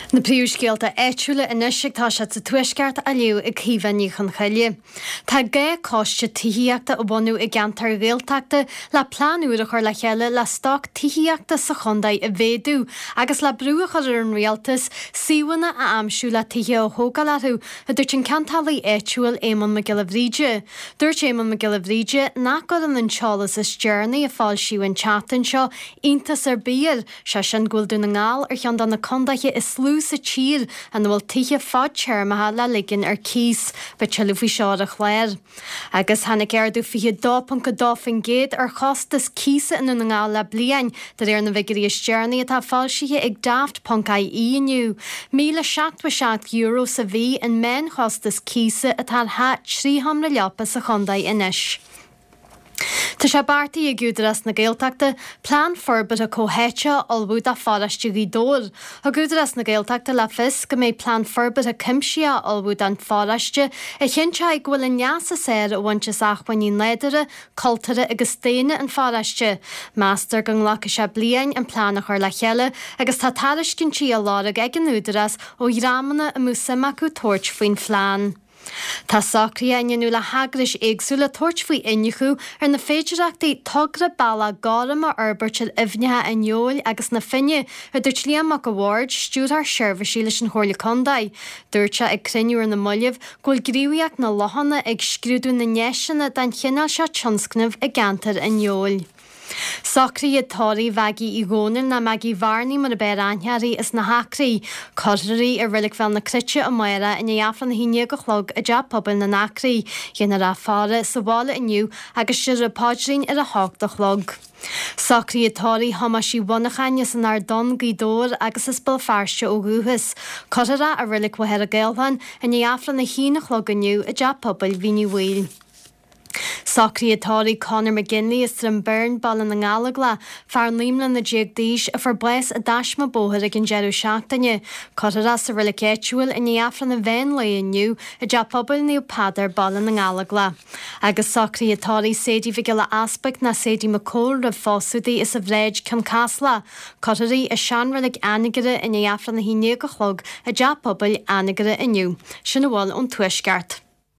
Na príomhscéalta áitiúla anois ag toiseacht sa Tuaisceart á léamh ag Caoimhe Ní Chonchoille. Tá gá coiste tithíochta a bhunú i gceantair Ghaeltachta le plean úr a chur le chéile le stoc tithíochta sa chontae a mhéadú agus le brú a chur ar an rialtas suíomhanna a aimsiú le tithe a thógáil orthu, a dúirt an ceantálaí áitiúil Éamonn Mac Giolla Bhríde. Dúirt Éamonn Mac Giolla Bhríde nach gcuireann an t-eolas is deireanaí a foilsíodh an tseachtain seo iontas ar bith air, Sé sin go bhfuil Dún na nGall ar cheann de na condaetha is lú sa tír ina bhfuil tithe fadtéarmacha le ligean ar cíos. Beidh tuilleadh faoi seo ar an chlár. Agus tháinig ardú 22.2% ar chostas cíosa i nDún na nGall le bliain, de réir na bhfigiúirí is deireanaí atá foilsithe ag Daft.ie inniu. €1,077 sa mhí an meánchostas cíosa atá ar theach 3 sheomra leapa sa chontae anois. Tá sé beartaithe ag Údarás na Gaeltachta plean forbartha comhtháite a ullmhú do pharóiste Ghaoth Dobhair. Thug Údarás na Gaeltachta le fios go mbeidh plean forbartha cuimsitheach á ullmhú don pharóiste a chinnteoidh go bhfuil an leas is fearr á bhaint as acmhainní nádúrtha, cultúrtha agus daonna an pharóiste. Meastar go nglacfaidh sé bliain an plean a chur le chéile agus tá tairiscintí á lorg ag an Údarás ó dhreamanna a mbeadh suim acu tabhairt faoin phlean. Tá socruithe á ndéanamh le heagrais éagsúla tabhairt faoi iniúchadh ar na féidearthachtaí togra Bealach Gorm a fhorbairt ar aibhneacha an Fheoil agus na Finne, a dúirt Liam Mac a' Bhaird, Stiúrthóir Seirbhísí leis an Chomhairle Contae. Dúirt sé ag cruinniú ar na mallaibh go bhfuil Gníomhaíocht na Lochanna ag scrúdú na ndeiseanna den chineál seo tionscnaimh i gceantar an Fheoil. Socruithe tórraimh Mhaggie Uí Dhomhnaill nó Maggie Bhearnaí mar ab fhearr aithne uirthi as na hAcraí. Cuirfear í i Reilig Bhéal na Cruite amárach i ndiaidh Aifreann a 11 a chlog i dTeach Pobail na nAcraí. Déanfar í a faire sa bhaile inniu agus déarfar an paidrín ar a hocht a chlog. Socruithe tórraimh Thomáis Uí Mhonacháin as an Ard Donn, Gaoth Dobhair agus as Béal Feirste ó dhúchas. Cuirfear é i Reilig Mhachaire Gathlán i ndiaidh Aifreann a haon a chlog inniu i dTeach Pobail Mhín Uí Bhaoill. Socruithe tórraimh Conor McGinley as Droim Bhirn, Baile na nGallóglach, fear 19 mbliana d'aois a fuair bás i dtaisme bóthair ag an deireadh seachtaine. Cuirfear é sa reilig áitiúil i ndiaidh Aifreann an mheán lae inniu i dTeach Pobail Naomh Peadar, Baile na nGallóglach. Agus socruithe tórraimh Sadie Mhic Giolla Easpaig ná Sadie McCole roimh phósadh di as an Bhráid, Cionn Caslach. Cuirfear í i seanreilig Anagaire i ndiaidh Aifreann a 11 a chlog i dTeach Pobail Anagaire inniu. Sin a bhfuil ón Tuaisceart.